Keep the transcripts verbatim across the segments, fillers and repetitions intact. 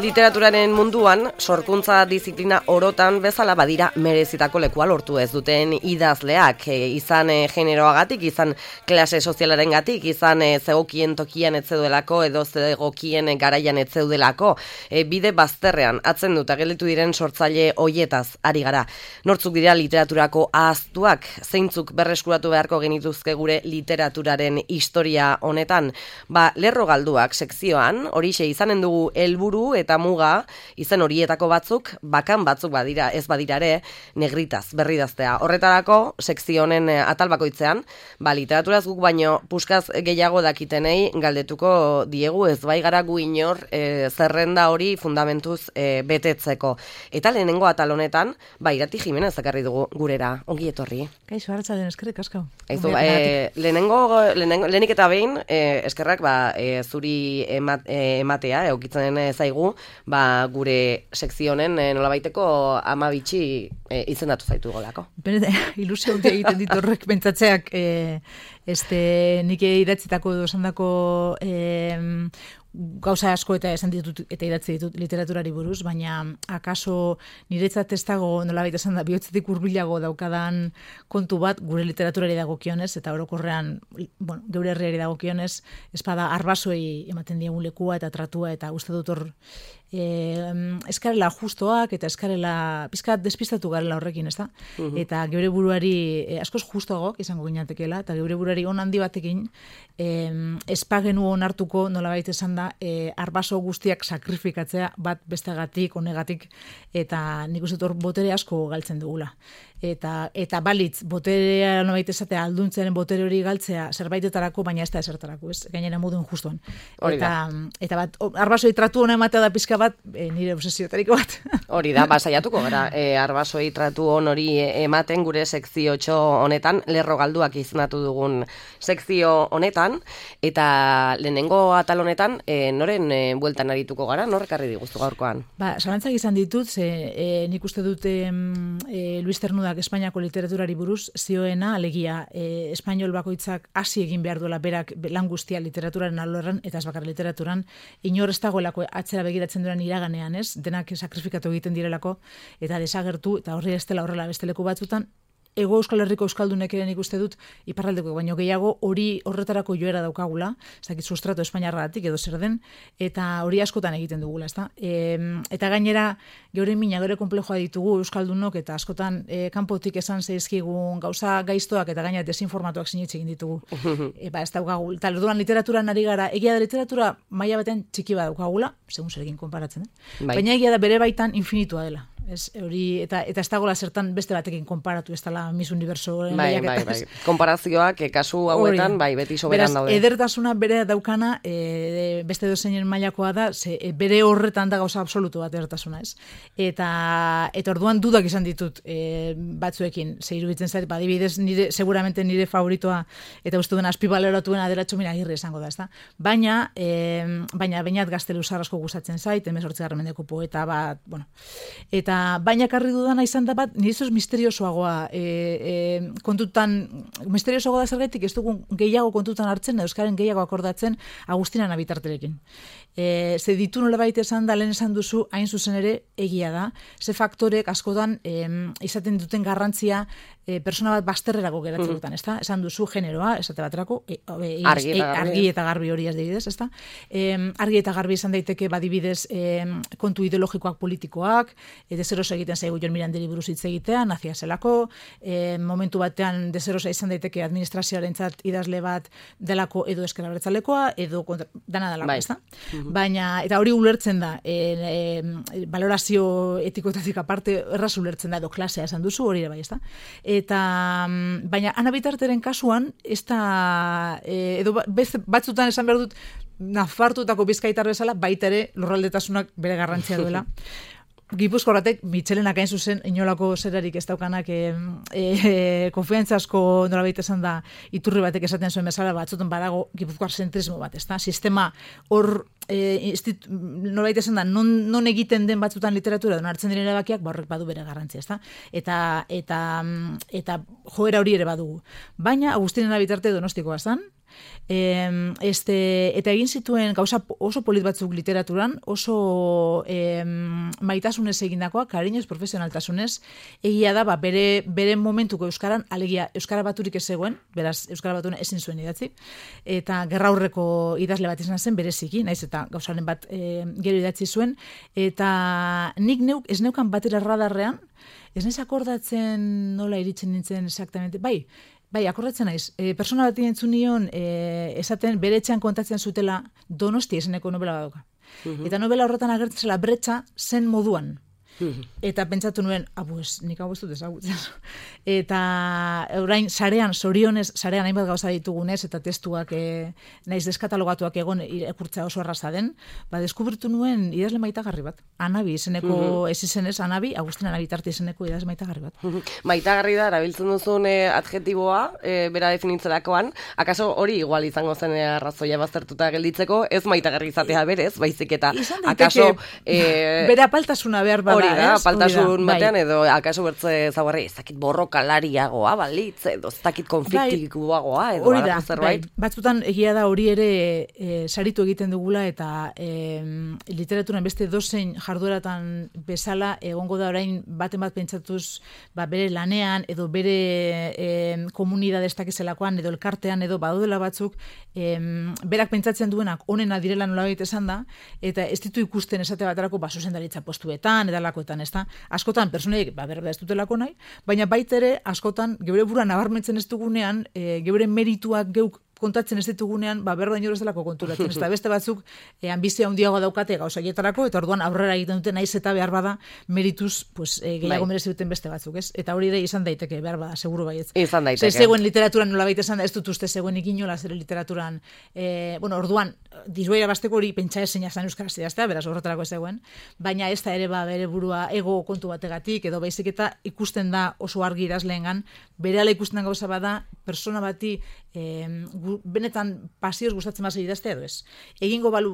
Literaturaren munduan, sorkuntza diziplina orotan bezala badira merezitako lekua lortu ez duten idazleak, e, izan e, generoagatik, izan klase sozialaren gatik, izan e, zegokien tokian etzeudelako edo zegokien garaian etzeudelako, e, bide bazterrean atzen dut ageletu diren sortzaile hoietaz ari gara. Nortzuk dira literaturako ahaztuak, zeintzuk berreskuratu beharko genituzke gure literaturaren historia honetan, ba, lerro galduak sekzioan, horixe izanen dugu helburu eta muga, izen horietako batzuk, bakan batzuk badira, ez badira ere, negritaz, berridaztea. Horretarako, sekzio honen atal bakoitzean, ba, literaturaz guk baino puskaz gehiago dakitenei galdetuko diegu, ez bai gara gu inor e, zerrenda hori fundamentuz e, betetzeko. Eta lehenengo atal honetan, ba, Irati Jimenez ekarri dugu gurera, ongi etorri. Kaixo, arratsaldien eskerrik asko. Aizu, e, lehenengo, lehenengo, lehenik eta behin, e, eskerrak ba, e, zuri emat, e, ematea, eukitzen zaigu, ba, gure sekzionen e, nolabaiteko ama bitxi e, izendatu zaitu golako. Bene, ilusio handia egiten ditu horrek pentsatzeak, e, este, nik idatzitako edo esandako e, gauza asko eta esan ditut eta idatzi ditut literaturari buruz, baina akaso niretzat ez dago nolabait esan da bihotzetik hurbilago daukadan kontu bat gure literaturari dagokionez eta orokorrean, bueno, geure herriari dagokionez, espada arbasoei ematen diegun lekua eta tratua eta uste dut hor eh, eskarela justoak eta eskarela pizkat despistatu garela horrekin, ezta? Uh-huh. Eta geure buruari eh, askoz justoagoak izango ginatekeela eta geure buruari on handi batekin eh, espagenu onartuko nolabait esan da E, arbaso guztiak sakrifikatzea bat bestegatik, honegatik, eta nik uste hor botere asko galtzen dugula. Eta, eta balitz, boterea nobait esatea alduntzearen botere hori galtzea zerbaitetarako, baina ez da esertarako, ez? Gainera modu injustuan. Eta, eta bat, arbasoi tratu hona ematea da pizka bat, e, nire obsesiotariko bat. Hori da, basaiatuko gara, e, arbasoi tratu hon hori ematen gure sekzio txo honetan, lerro galduak izendatu dugun sekzio honetan, eta lehenengo atal honetan, e, noren e, bueltan arituko gara, norrek arri diguztu gaurkoan? Ba, zalantzak izan ditut, ze e, nik uste dute e, Luis Ternudak Espainiako literaturari buruz zioena, alegia, e, espainol bakoitzak hasi egin behar duela berak lan guztia literaturaren alorren, eta ez bakar literaturan, inor ez dagoelako atzera begiratzen duran iraganean, ez? Denak sakrifikatu egiten direlako, eta desagertu, eta horri ez dela horrela beste leku batzutan, Ego Euskal Herriko Euskaldunek ere nik uste dut iparraldeko baino gehiago hori horretarako joera daukagula, ez dakit sustrato espainiarratik edo zer den, eta hori askotan egiten dugula, ezta? E, eta gainera geure mina, geure konplejoa ditugu Euskaldunok eta askotan e, kanpotik esan zaizkigun gauza gaiztoak eta gainera desinformatuak sinetxe egin ditugu. E, ba, ez daukagu, eta orduan literaturan ari gara, egia da literatura maila baten txiki bat daukagula, segun zerekin konparatzen, eh? Bai. Baina egia da bere baitan infinitua dela. Ez, hori, eta, eta ez dagoela zertan beste batekin konparatu, ez dela Miss Universo bai, bai, bai. Konparazioak e, kasu hauetan bai, beti soberan daude. Beraz, edertasuna bere daukana e, beste dozeinen mailakoa da, ze, e, bere horretan da gauza absolutu bat edertasuna, ez? Eta, eta orduan dudak izan ditut e, batzuekin, ze iruditzen zait, ba, adibidez, nire, seguramente nire favoritoa eta uste duen azpibaleratuena aderatxo mira agirre esango da, ez da? Baina, e, baina bainat Gaztelu asko gustatzen zait, hemezortzigarren mendeko poeta bat, bueno, eta baina karri dudana izan da bat, nire misteriosoagoa e, e, kontutan, misteriosoagoa da zergaitik, ez dugu gehiago kontutan hartzen, euskaren gehiago akordatzen Agustina Nabitarterekin. E, ze ditu nola baita esan da, lehen esan duzu, hain zuzen ere egia da, ze faktorek askotan e, izaten duten garrantzia e, persona bat bazterrerako geratzen mm. dutan, ezta? Esan duzu generoa, esate baterako, e, e, argi, eta e, argi eta garbi hori ez dibidez, ezta? E, argi eta garbi izan daiteke badibidez e, kontu ideologikoak politikoak, e, dezeroso egiten zaigu Jon Miranderi buruz hitz egitea, nazia zelako, e, momentu batean dezerosa izan daiteke administrazioarentzat idazle bat delako edo ezker abertzalekoa, edo kontra, dana delako, bai. Ezta? Mm-hmm. Baina, eta hori ulertzen da, e, e, valorazio etikoetatik aparte, erraz ulertzen da, edo klasea esan duzu, hori ere bai, ezta? Eta, baina, Ana Bitarteren kasuan, ez da, e, edo batzutan esan behar dut, Nafartuetako Bizkaitar bezala, baita ere lurraldetasunak bere garrantzia duela. Gipuzkoarratek Mitxelenak hain zuzen inolako zerarik ez daukanak e, e, konfiantzasko nolabait esan da iturri batek esaten zuen bezala batzutan badago gipuzkoar zentrismo bat, ezta? Sistema hor e, instit, nolabait esan da non, non egiten den batzutan literatura don hartzen diren erabakiak ba horrek badu bere garrantzia, ezta? Eta eta eta joera hori ere badugu. Baina Agustina Nabitarte Donostikoa zen, E, este, eta egin zituen gauza oso polit batzuk literaturan, oso e, maitasunez egindakoa, kariñoz, profesionaltasunez, egia da, ba, bere, bere momentuko euskaran, alegia euskara baturik ez zegoen, beraz, euskara batuna ezin zuen idatzi, eta gerra aurreko idazle bat izan zen, bereziki, naiz eta gauzaren bat e, gero idatzi zuen, eta nik neuk, ez neukan batera radarrean, ez naiz akordatzen nola iritsen nintzen exactamente, bai, Bai, akordatzen naiz. E, persona bat entzun nion, e, esaten bere etxean kontatzen zutela Donosti eseneko novela badoka. Uh-huh. Eta novela horretan agertzen zela bretxa zen moduan. Uh-huh. Eta pentsatu nuen, ah, pues, nik hau ez dut ezagutzen. Eta orain, sarean, sorionez, sarean hainbat gauza ditugunez, eta testuak e, naiz deskatalogatuak egon irakurtza oso erraza den, ba, deskubritu nuen idazle maitagarri bat. Anabi izeneko, uh-huh. ez izenez, Anabi, Agustin Anabi tarte izeneko idazle maitagarri bat. Uh-huh. Maitagarri da, erabiltzen duzun eh, adjetiboa, eh, bera definitzerakoan, akaso hori igual izango zen arrazoia baztertuta gelditzeko, ez maitagarri izatea berez, baizik eta akaso... Eh, bere apaltasuna behar bada. Hori da, apaltasun batean, edo akaso bertze zaguarri, ez dakit borrokalariagoa, balitz, edo ez dakit konfliktikuagoa, edo hori da, bai. Batzutan egia da hori ere e, saritu egiten dugula, eta e, literaturan beste dozein jardueratan bezala, egongo da orain baten bat pentsatuz, ba, bere lanean, edo bere e, komunidade ez dakizelakoan, edo elkartean, edo badudela batzuk, e, berak pentsatzen duenak onena direla nolabait esan da, eta ez ditu ikusten esate baterako, ba, zuzendaritza postuetan, edala ez da. Askotan personaiek ba berba ez dutelako nahi, baina baita ere askotan geure burua nabarmentzen ez dugunean, e, geure merituak geuk kontatzen ez ditugunean, ba berba inor ez delako konturatzen. Ez da beste batzuk e, ambizia handiagoa daukate gauzaietarako, eta orduan aurrera egiten dute naiz eta behar bada merituz pues, e, gehiago merezi duten beste batzuk, ez? Eta hori ere izan daiteke, behar bada, seguru baietz. Izan daiteke. Ze zegoen literaturan nola baita esan da, ez dut uste zegoen ikinola zere literaturan, e, bueno, orduan, diruera basteko hori pentsa ezin zan euskaraz idaztea, beraz horretarako ez zegoen, baina ez da ere ba bere burua ego kontu bategatik, edo baizik eta ikusten da oso argi idazleengan, berehala ikusten den gauza bada, persona bati e, benetan pasioz gustatzen basa idaztea edo ez. Egingo balu,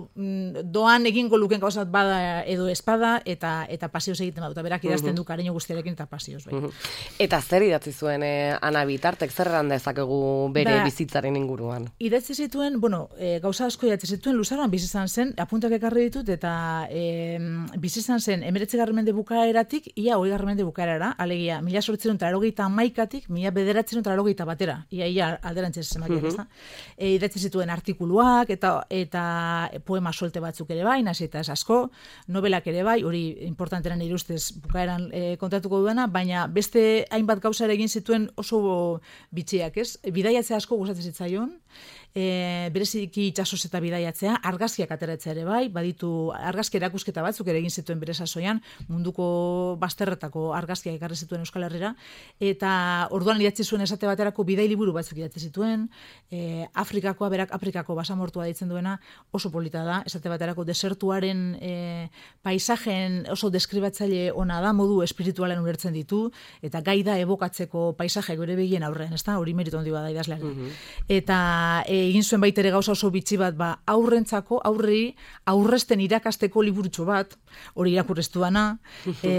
doan egingo luken gauzat bada edo espada, eta eta pasioz egiten badu, eta berak idazten du kariño guztiarekin eta pasioz. Bai. Eta zer idatzi zuen eh, Anabi tartek, zer erran dezakegu bere da, bizitzaren inguruan? Idatzi zituen, bueno, e, gauza asko idatzi zituen, luzaroan bizi izan zen, apuntak ekarri ditut, eta e, bizi izan zen emeretzigarren mende bukaeratik, ia hogeigarren mende bukaerara, alegia, mila zortziehun eta laurogeita hamaikatik, mila bederatziehun eta laurogeita batera, ia, ia alderantzez zenbakiak, ez da. E, idatzi zituen artikuluak, eta eta poema solte batzuk ere bai, nasi eta ez asko, novelak ere bai, hori importantena nire ustez bukaeran e, kontatuko duena, baina beste hainbat gauza ere egin zituen oso bitxiak, ez? Bidaiatzea asko gustatzen zitzaion, e, bereziki itsasoz eta bidaiatzea, argazkiak ateratzea ere bai, baditu argazki erakusketa batzuk ere egin zituen bere sasoian, munduko bazterretako argazkiak ekarri zituen Euskal Herrira, eta orduan idatzi zuen esate baterako bidai liburu batzuk idatzi zituen, e, Afrikakoa, berak Afrikako basamortua deitzen duena, oso polita da, esate baterako desertuaren e, paisajen oso deskribatzaile ona da, modu espiritualen ulertzen ditu, eta gai da ebokatzeko paisaje gure begien aurrean, ezta? Hori meritu handi bada idazlearen. Mm-hmm. Eta e, egin zuen baita ere gauza oso bitxi bat, ba, aurrentzako, aurri, aurresten irakasteko liburutxo bat, hori irakurreztu dana, e,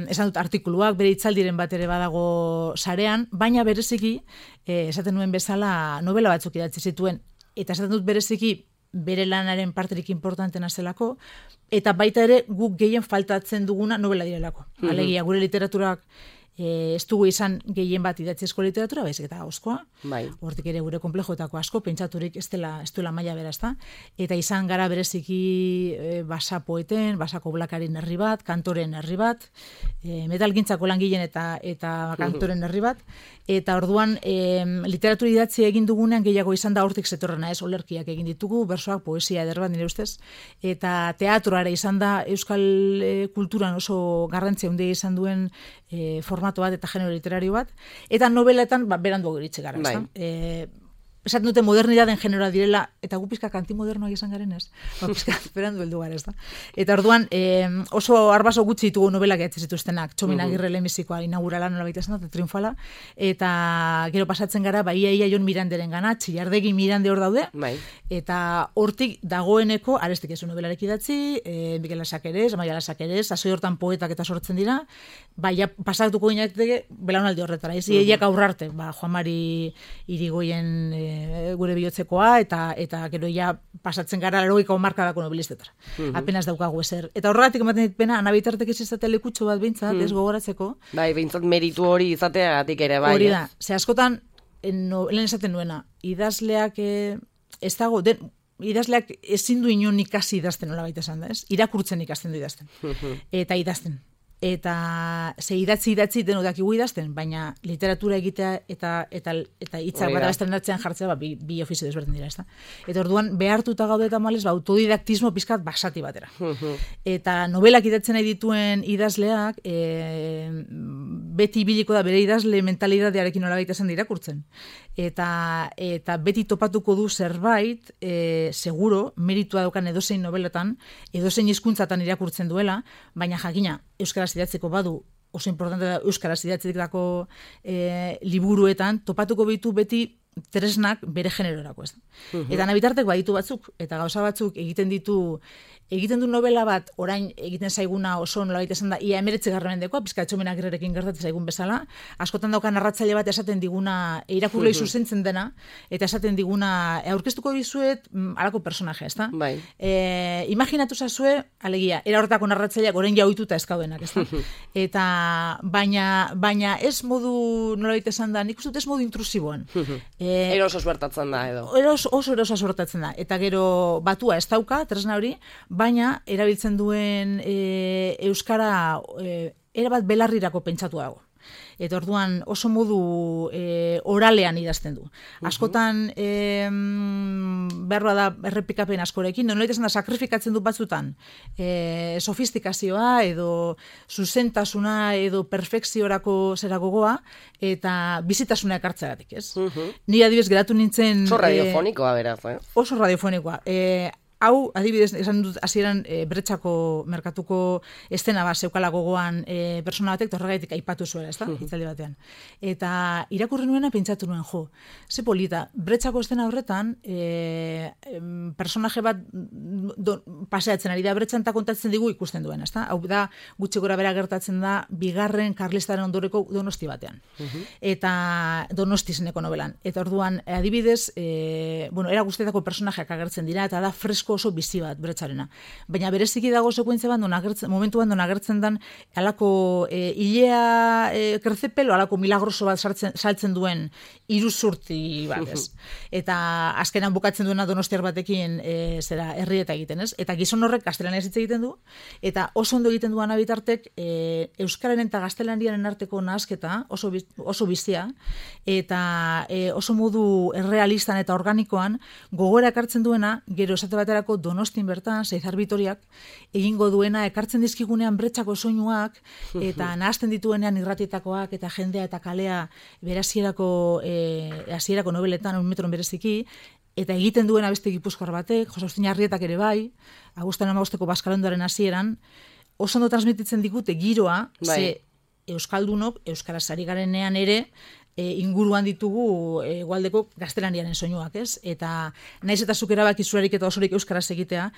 esan dut artikuluak, bere itzaldiren bat ere badago sarean, baina bereziki, e, esaten nuen bezala novela batzuk idatzi zituen, eta esaten dut bereziki bere lanaren parterik importantena zelako, eta baita ere guk gehien faltatzen duguna novela direlako. Mm-hmm. Alegia, gure literaturak E, ez dugu izan gehien bat idatzizko literatura, baizik eta oskoa. Bai. Hortik ere gure konplejoetako asko, pentsaturik ez dela, ez duela maila bera, ezta? Eta izan gara bereziki e, basa poeten, basako blakarin herri bat, kantoren herri bat, e, metalgintzako langileen eta eta kantoren herri bat, eta orduan e, literatura idatzi egin dugunean gehiago izan da hortik zetorrena, ez, olerkiak egin ditugu, bersoak, poesia eder bat nire ustez, eta teatroa ere izan da euskal e, kulturan oso garrantzia handia izan duen e, formato bat eta genero literario bat, eta noveletan ba, berandu iritsi gara. Bai. E, esaten dute modernidaden generoa direla, eta gu pizkak antimodernoak izan garen ez, ba, pizkak berandu heldu gara ez da. Eta orduan e, oso arbaso gutxi ditugu novelak idatzi zituztenak, Txomin Agirre lehenbizikoa inaugurala nola baita esan da, triunfala, eta gero pasatzen gara, ba, ia ia Jon Miranderen gana, Txillardegi Mirande hor daude, bai. Eta hortik dagoeneko, arestik ez novelarek idatzi, e, Mikel Lasakeres, Amaia Lasakeres, asoi hortan poetak eta sortzen dira, ba, ja, pasatuko gineateke belaunaldi horretara, ez, uh-huh. Iaiak aurrarte, ba, Juan Mari Irigoyen e, e, gure bihotzekoa, eta eta gero ja pasatzen gara laurogeiko hamarkadako nobelistetara. Mm-hmm. Apenas daukagu ezer. Eta horregatik ematen dit pena, Ana Bitartek ez izatea lekutxo bat behintzat, mm. ez gogoratzeko. Bai, behintzat meritu hori izateagatik ere, bai. Hori da, ze askotan, no, lehen esaten nuena, idazleak e, ez dago, den, idazleak ezin du inon ikasi idazten nola baita esan da, ez? Irakurtzen ikasten du idazten. Eta idazten. Eta ze idatzi idatzi deno dakigu idazten, baina literatura egitea eta eta eta hitzak bada bestean atzean jartzea ba, bi, bi ofizio desberdin dira, ezta. Eta orduan behartuta gaude tamales ba autodidaktismo pizkat basati batera. Eta novelak idatzen nahi dituen idazleak e, beti ibiliko da bere idazle mentalidadearekin nolabait esan irakurtzen. Eta eta beti topatuko du zerbait, e, seguro, meritua daukan edozein nobeletan, edozein hizkuntzatan irakurtzen duela, baina jakina euskaraz idatzeko badu, oso importante da euskaraz idatzeko e, liburuetan, topatuko bitu beti tresnak bere generorako, ez da. Uh-huh. Eta Ana Bitartek baditu batzuk, eta gauza batzuk egiten ditu, egiten du novela bat, orain egiten zaiguna oso nolabait esan da, ia emeretzi garramendekoa, pizka etxomenak gerrekin gertatzen zaigun bezala, askotan daukan narratzaile bat esaten diguna, irakurlei uh-huh. zuzentzen dena, eta esaten diguna, aurkeztuko dizuet, alako personaje, ez da? Bai. E, imaginatu zazue, alegia, era horretako narratzaileak orain jauituta eskaudenak, ez da? Uh-huh. Eta, baina, baina ez modu, nolabait esan da, nik uste dut ez modu intrusiboan. Uh-huh. E, eroso suertatzen da, edo. Eros, oso eroso suertatzen da. Eta gero batua ez dauka, tresna hori, baina erabiltzen duen e, euskara e, erabat belarrirako pentsatu dago. Eta orduan oso modu e, oralean idazten du. Askotan e, berroa da errepikapen askorekin, nolait esan da sakrifikatzen du batzutan e, sofistikazioa edo zuzentasuna edo perfekziorako zera gogoa eta bizitasuna ekartzeagatik, ez? Uh-huh. Ni adibidez geratu nintzen... Oso radiofonikoa beraz, eh? Oso radiofonikoa. E, Hau, adibidez, esan dut hasieran e, Bretxako merkatuko estena bat zeukala gogoan e, persona batek torregaitik aipatu zuela, ez da, hitzaldi batean. Eta irakurri nuena pentsatu nuen, jo, ze polita, Bretxako estena horretan e, em, personaje bat do, paseatzen ari da Bretxan eta kontatzen digu ikusten duen, ez da? Hau da, gutxi gora bera gertatzen da bigarren karlistaren ondoreko Donosti batean. Uh-huh. Eta Donosti zeneko novelan. Eta orduan, adibidez, e, bueno, era guztietako personajeak agertzen dira, eta da fresko oso bizi bat Bretxarena. Baina bereziki dago sekuentzia bat, agertzen, momentu bat, agertzen dan alako e, ilea e, krezepelo, alako milagroso bat sartzen, saltzen duen iruzurti bat, ez? Eta azkenan bukatzen duena Donostiar batekin e, zera herrieta egiten, ez? Eta gizon horrek gaztelaniaz hitz egiten du, eta oso ondo egiten du Ana Bitartek e, euskararen eta gaztelaniaren arteko nahasketa oso, oso bizia, eta e, oso modu errealistan eta organikoan gogora ekartzen duena, gero esate baterako Donostin bertan, Seizar Bitoriak, egingo duena, ekartzen dizkigunean Bretxako soinuak, eta nahazten dituenean irratietakoak, eta jendea eta kalea berasierako, e, hasierako nobeletan, un metron bereziki, eta egiten duena beste gipuzkoar batek, Jose Agustin Arrietak ere bai, Agustin Amagosteko Baskalondoaren hasieran, oso ondo transmititzen digute giroa, bai. Ze euskaldunok, euskaraz ari garenean ere, E, inguruan ditugu e, Egualdeko gaztelaniaren soinuak, ez? Eta naiz eta zuk erabaki zurerik eta osorik euskaraz egitea,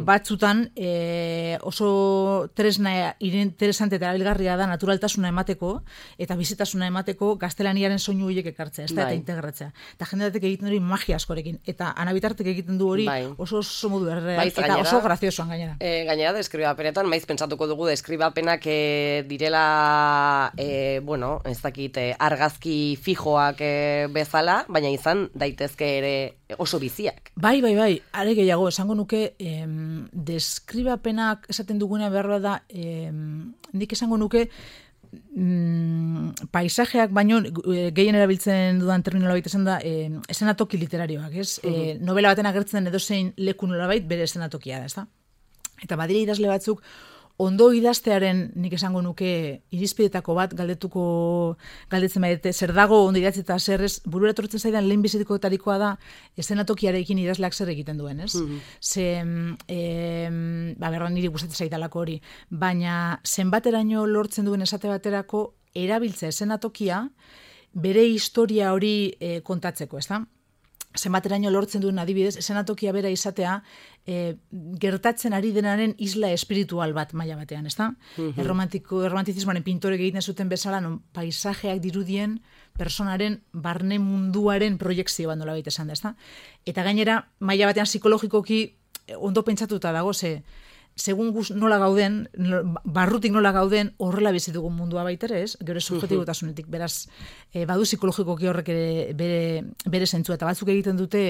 batzutan e, oso tresna interesante eta erabilgarria da naturaltasuna emateko eta bizitasuna emateko gaztelaniaren soinu horiek ekartzea, ez da, eta integratzea. Eta jendeatek egiten hori magia askorekin. Eta Ana Bitartek egiten du hori bai. oso oso modu erreal, eta gainera, oso graziosoan gainera. E, gainera, deskribapenetan, maiz pentsatuko dugu deskribapenak e, direla, e, bueno, ez dakit, e, argazki fijoak e, bezala, baina izan daitezke ere oso biziak. Bai, bai, bai, are gehiago, esango nuke em, deskribapenak esaten duguna beharra da, em, nik esango nuke mm, paisajeak, baino gehien erabiltzen dudan terminolobait esan da, eh, esenatoki literarioak, ez? Uh-huh. E, novela baten agertzen edozein leku nolabait bere esenatokia da, ez da? Eta badire idazle batzuk, ondo idaztearen, nik esango nuke, irizpidetako bat galdetuko galdetzen baite, zer dago ondo idatzita zer ez, burura etortzen zaidan lehen bizitikotarikoa da esenatokiarekin idazleak zer egiten duen, ez? Mm-hmm. Ze, e, ba, berra niri gustatzen zaidalako hori, baina zenbateraino lortzen duen esate baterako erabiltza esenatokia bere historia hori e, kontatzeko, ez da? zenbateraino lortzen duen adibidez, esenatokia bera izatea, e, gertatzen ari denaren isla espiritual bat maila batean, ezta? Mm-hmm. Erromantiko, erromantizismoaren pintorek egiten zuten bezala, non paisajeak dirudien personaren barne munduaren proiekzio bat nolabait esan da, ezta? Eta gainera, maila batean psikologikoki ondo pentsatuta dago, ze segun guz nola gauden, barrutik nola gauden, horrela bizi dugun mundua baitere, ez? Gero subjetibotasunetik, beraz, e, badu psikologikoki horrek ere bere, bere zentzua, eta batzuk egiten dute,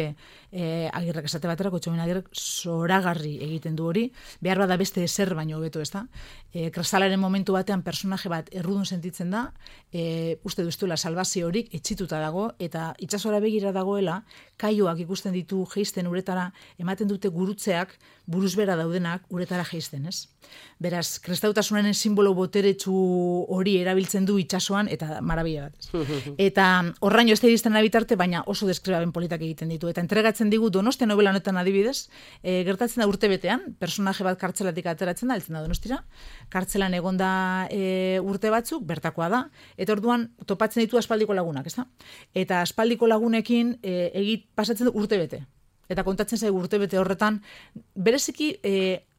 e, agirrek esate baterako, txomen agirrek zoragarri egiten du hori, behar bada beste ezer baino hobeto, ez da? E, kristalaren momentu batean personaje bat errudun sentitzen da, e, uste duztuela salbazio horik etxituta dago, eta itsasora begira dagoela, kaioak ikusten ditu geisten uretara, ematen dute gurutzeak, buruzbera daudenak uretara geisten, ez? Beraz, kristautasunaren simbolo boteretsu hori erabiltzen du itsasoan eta marabila bat. Eta horraino ez da iristen bitarte, baina oso deskribaben politak egiten ditu. Eta entregatzen digu Donostia novela honetan adibidez, e, gertatzen da urtebetean, personaje bat kartzelatik ateratzen da, heltzen da Donostira, kartzelan egonda e, urte batzuk, bertakoa da, eta orduan topatzen ditu aspaldiko lagunak, ez da? Eta aspaldiko lagunekin e, egit pasatzen du urtebete. Eta kontatzen zaigu urtebete horretan, bereziki e,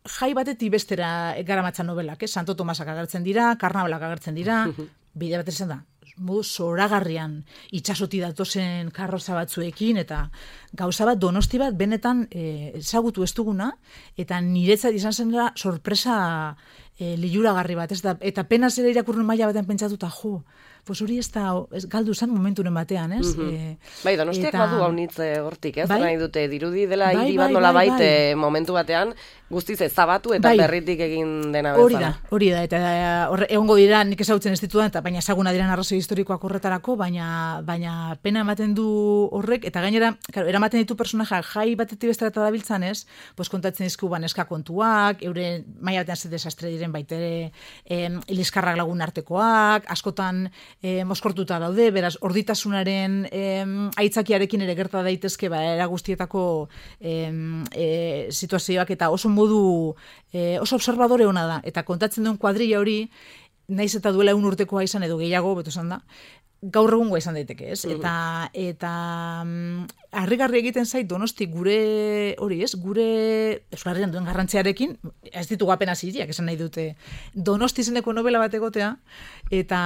jai batetik bestera garamatzan novelak, eh? Santo Tomasak agertzen dira, karnabalak agertzen dira, bide bat izan da, modu zoragarrian itsasoti datozen karroza batzuekin, eta gauza bat Donosti bat benetan e, ezagutu ez duguna, eta niretzat izan zen da sorpresa e, liluragarri bat, ez da, eta penaz ere irakurren maila batean pentsatuta, jo, pues hori ez da, ez, galdu zen momenturen batean, ez? Mm-hmm. e, bai, Donostiak eta, badu haunitz hortik, ez? Bai, nahi dute, dirudi dela bai, hiri bai, bat nola bai, baite bai. momentu batean, guztiz ezabatu eta bai. berritik egin dena bezala. Hori da, hori da, eta horre, egongo dira nik ezagutzen ez ditudan, eta baina ezaguna diren arrazoi historikoak horretarako, baina, baina pena ematen du horrek, eta gainera, claro, eramaten ditu personaja jai batetik bestera eta dabiltzan ez, pues kontatzen dizku baneska kontuak, eure maila batean ze desastre diren baitere, eh, iliskarrak lagun artekoak, askotan eh, moskortuta daude, beraz, orditasunaren eh, aitzakiarekin ere gerta daitezke, ba, era guztietako eh, eh, situazioak, eta oso modu, eh, oso observadore ona da, eta kontatzen duen kuadrilla hori, naiz eta duela un urtekoa izan edo gehiago, beto esan da, gaur egungoa izan daiteke, ez? Eta, eta mm, harrigarri egiten zait Donosti gure, hori ez, gure Euskal Herrian duen garrantziarekin, ez ditugu apenas hiriak esan nahi dute, Donosti izeneko novela bat egotea, eta,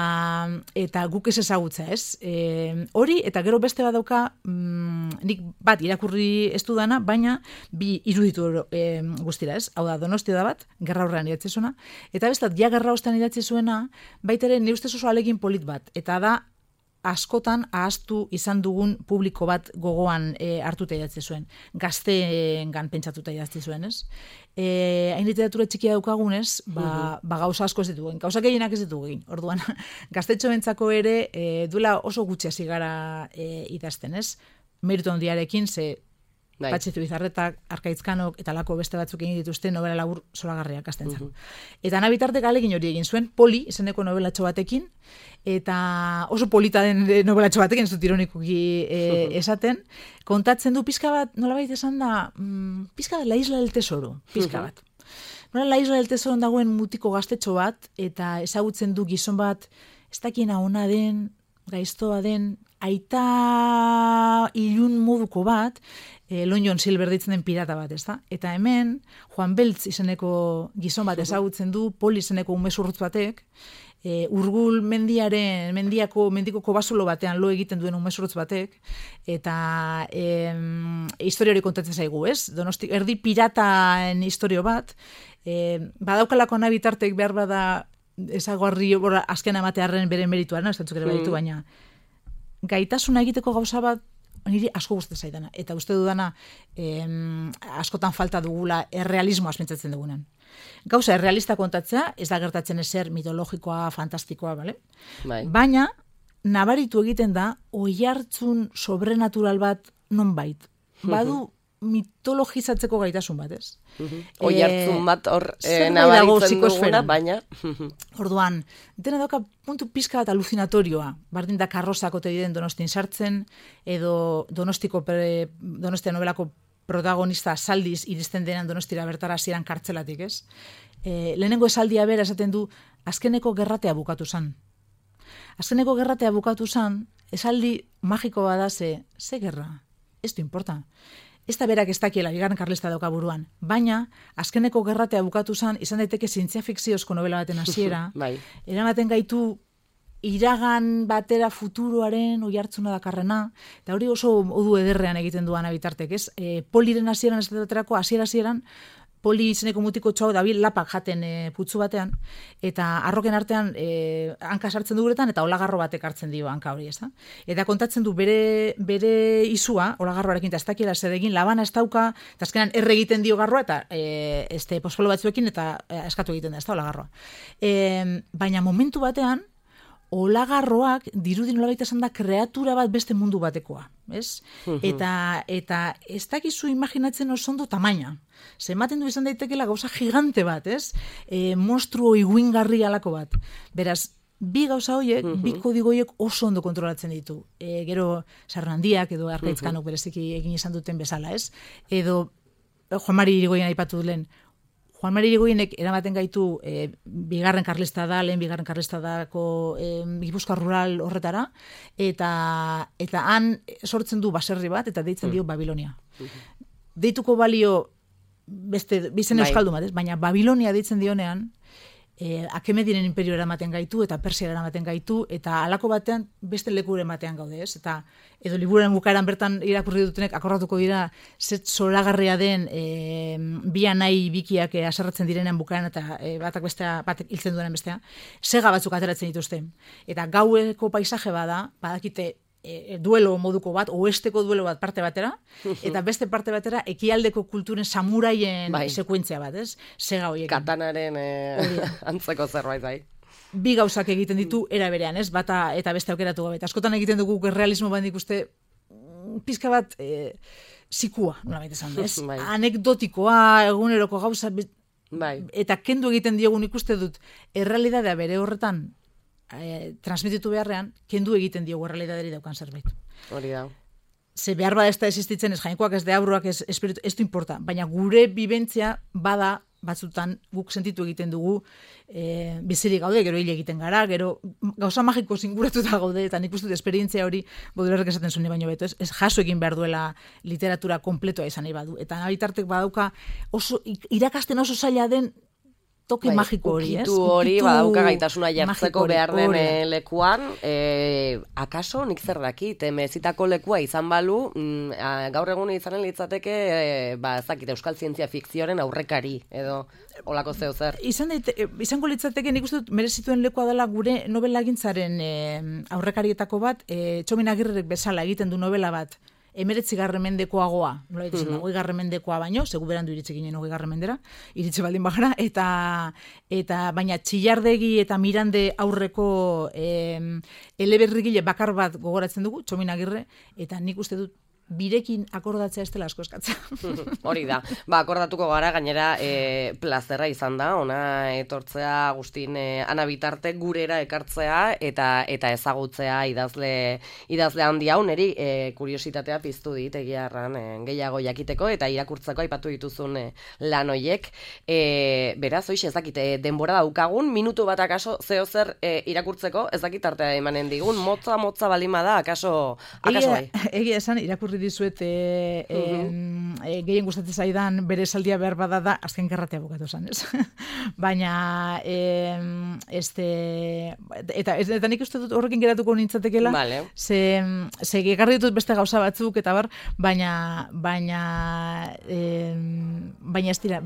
eta guk ez ezagutza, ez? E, hori, eta gero beste bat dauka, mm, nik bat irakurri ez dudana, baina bi iruditu e, guztira, ez? Hau da, Donosti da bat, gerra horrean idatzi zuena, eta bestat, ja gerra ostean idatzi zuena, baita ere, nire ustez oso alegin polit bat, eta da, askotan ahaztu izan dugun publiko bat gogoan e, hartuta idatzi zuen. Gazteengan pentsatuta idatzi zuen, ez? E, hain literatura txikia daukagunez, ba, ba gauza asko ez ditugu. Gauza gehienak ez ditugu egin. Orduan, gaztetxoentzako ere e, duela oso gutxi hasi gara e, idazten, ez? Meritu handiarekin, ze Bai. Patxitu Bizarretak, Arkaitzkanok eta lako beste batzuk egin dituzte novela labur zoragarriak astentzako. Uh-huh. Eta nabitartek alegin hori egin zuen, Poli, izeneko novelatxo batekin, eta oso polita den novelatxo batekin, ez dut ironikoki e, esaten, kontatzen du pizka bat, nolabait esan da, mm, pizka bat La Isla del Tesoro, pizka bat. Nola La Isla del Tesoro dagoen mutiko gaztetxo bat, eta ezagutzen du gizon bat, ez dakiena ona den, gaiztoa den, aita ilun moduko bat, e, Long John Silver ditzen den pirata bat, ez da? Eta hemen, Juan Beltz izeneko gizon bat ezagutzen du, Poli izeneko umezurrutz batek, e, Urgul mendiaren, mendiako, mendiko kobasulo batean lo egiten duen umezurrutz batek, eta e, historia hori kontatzen zaigu, ez? Donosti, erdi pirataen historio bat, e, badaukalako nabitartek behar bada ezaguarri azken amatearen bere merituaren, ez datzuk ere baditu, baina gaitasuna egiteko gauza bat niri asko gustatzen zaidana. Eta uste dudana em, askotan falta dugula errealismoa pentsatzen dugunen. Gauza errealista kontatzea, ez da gertatzen ezer mitologikoa, fantastikoa, bale? Bai. Baina nabaritu egiten da oihartzun sobrenatural bat nonbait. Badu mitologizatzeko gaitasun bat, ez? Oihartzun bat hor zer eh, nahi dago nabaritzen duguna, psikosferan? baina... Orduan, dena dauka puntu pizka bat alucinatorioa, bardin da karrozako te diren Donostin sartzen, edo Donostiko pre, Donostia novelako protagonista saldiz iristen denan Donostira bertara hasieran kartzelatik, ez? E, lehenengo esaldia bera esaten du, azkeneko gerratea bukatu zan. Azkeneko gerratea bukatu zan, esaldi magiko bada ze, ze gerra? ez du importa. Ez da berak ez dakiela, bigarren karlista dauka buruan. Baina, azkeneko gerratea bukatu zen, izan daiteke zientzia fikziozko novela baten hasiera, bai. eramaten gaitu iragan batera futuroaren oihartzuna dakarrena, eta hori oso modu ederrean egiten duan bitartek, ez? E, poliren hasieran ez daterako, hasiera hasieran, poli izeneko mutiko txau dabil lapak jaten e, putzu batean, eta arroken artean e, hanka sartzen duguretan, eta olagarro batek hartzen dio hanka hori, ez da? Eta kontatzen du bere, bere izua, olagarroarekin, eta ez dakiela zer egin, labana ez dauka, eta azkenan erre egiten dio garroa, eta e, este, pospolo batzuekin, eta e, eskatu egiten da, ez da, olagarroa. E, baina momentu batean, olagarroak dirudi nolabait esan da kreatura bat beste mundu batekoa, ez? Eta eta ez dakizu imaginatzen oso ondo tamaina. Ze ematen du izan daitekeela gauza gigante bat, ez? E, monstruo iguingarri alako bat. Beraz, bi gauza horiek, uh-huh. bi kodigo horiek oso ondo kontrolatzen ditu. E, gero Sarrandiak edo Arkaitzkanok uh-huh. bereziki egin izan duten bezala, ez? Edo Juan Mari Irigoyen aipatu duen, Juan Mari Irigoyenek eramaten gaitu e, bigarren karlista da, lehen bigarren karlista dako e, Gipuzkoa rural horretara, eta eta han sortzen du baserri bat, eta deitzen dio Babilonia. Deituko balio beste, bizen euskaldun bat, baina Babilonia deitzen dionean, e, Akemediren imperio eramaten gaitu, eta Persia eramaten gaitu, eta halako batean beste leku ematean gaude, ez? Eta edo liburuaren bukaeran bertan irakurri dutenek akordatuko dira zet zoragarria den e, bia nahi bikiak e, aserratzen direnean bukaeran eta e, batak bestea, batek hiltzen duenen bestea, sega batzuk ateratzen dituzte. Eta gaueko paisaje bada, badakite e, duelo moduko bat, oesteko duelo bat parte batera, eta beste parte batera ekialdeko kulturen samuraien bai. Sekuentzia bat, ez? Sega hoiekin. Katanaren e, antzeko zerbait bai. Bi gauzak egiten ditu era berean, ez? Bata eta beste aukeratu gabe. Askotan egiten dugu realismo bat ikuste pizka bat e, zikua, nolabait esan, ez? Bai. Anekdotikoa, eguneroko gauza, bai. Eta kendu egiten diogun ikuste dut errealitatea bere horretan e, transmititu beharrean, kendu egiten diogu errealitateari daukan zerbait. Hori da. Ze behar bada ez da existitzen, ez jainkoak, ez deabruak, ez espiritu, ez du importa. Baina gure bibentzia bada batzutan guk sentitu egiten dugu e, bizirik gaude, gero hile egiten gara, gero gauza magiko zinguratuta gaude, eta nik uste dut esperientzia hori Baudelarrek esaten zuen baino beto, ez, ez jaso egin behar duela literatura kompletoa izan nahi badu. Eta nabitartek badauka oso, irakasten oso zaila den toke bai, magiko hori, ez? Ukitu hori, badauka gaitasuna jartzeko behar den e, lekuan, e, akaso nik zer dakit, mezitako lekua izan balu, mm, a, gaur egun izanen litzateke, e, ba, ezakit, euskal zientzia fikzioaren aurrekari, edo olako zeo zer. Izan daite, izango litzateke nik uste dut merezituen lekua dela gure nobelagintzaren e, aurrekarietako bat, e, Txomin Agirrek bezala egiten du novela bat, emeretzigarren mendekoagoa, nola ditzen, uh-huh. hogeigarren mendekoa baino, segu berandu iritsi ginen hogeigarren mendera, iritsi baldin bagara, eta, eta baina Txillardegi eta Mirande aurreko eh, eleberrigile bakar bat gogoratzen dugu, Txomin Agirre, eta nik uste dut birekin akordatzea ez dela asko eskatzea. Hori da. Ba, akordatuko gara, gainera e, plazerra izan da, ona etortzea Agustin e, Ana Bitarte gurera ekartzea eta eta ezagutzea idazle idazle handi hau, neri e, kuriositatea piztu dit egiarran e, gehiago jakiteko eta irakurtzeko aipatu dituzun e, lan hoiek. E, beraz, hoiz ez dakit, e, denbora daukagun, minutu bat akaso zeo zer e, irakurtzeko, ez dakit artea emanen digun, motza motza balima da, akaso, akaso bai. Egia esan, irakurri dizuet e, e, uh-huh. e, gehien gustatzen zaidan bere esaldia behar bada da azken gerratea bukatu zen, ez? Baina e, este, eta, eta nik uste dut horrekin geratuko nintzatekela, vale. ze, ze gegarri ditut beste gauza batzuk eta bar, baina baina e, baina ez dira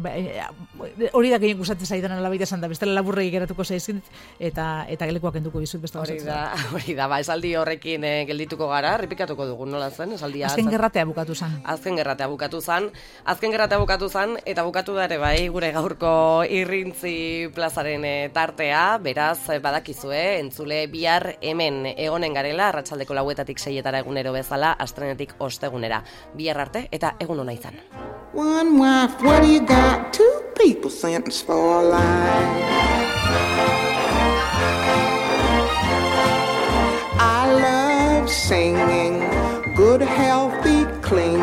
hori da gehien gustatzen zaidan alabaita esan da, bestela laburregi geratuko zaizkit eta, eta gelekuak enduko bizut beste hori da, hori da, ba, esaldi horrekin e, geldituko gara, repikatuko dugu, nola zen, esaldia Azken gerratea bukatu zan. Azken gerratea bukatu zan. Azken gerratea bukatu zan, eta bukatu da ere bai, gure gaurko irrintzi plazaren tartea, beraz, badakizue, entzule bihar hemen egonen garela, arratsaldeko lauetatik seietara egunero bezala, astrenetik ostegunera. Bihar arte, eta egun ona izan. One wife, what do you got? Two people sentenced for life. I love singing. Good, healthy, clean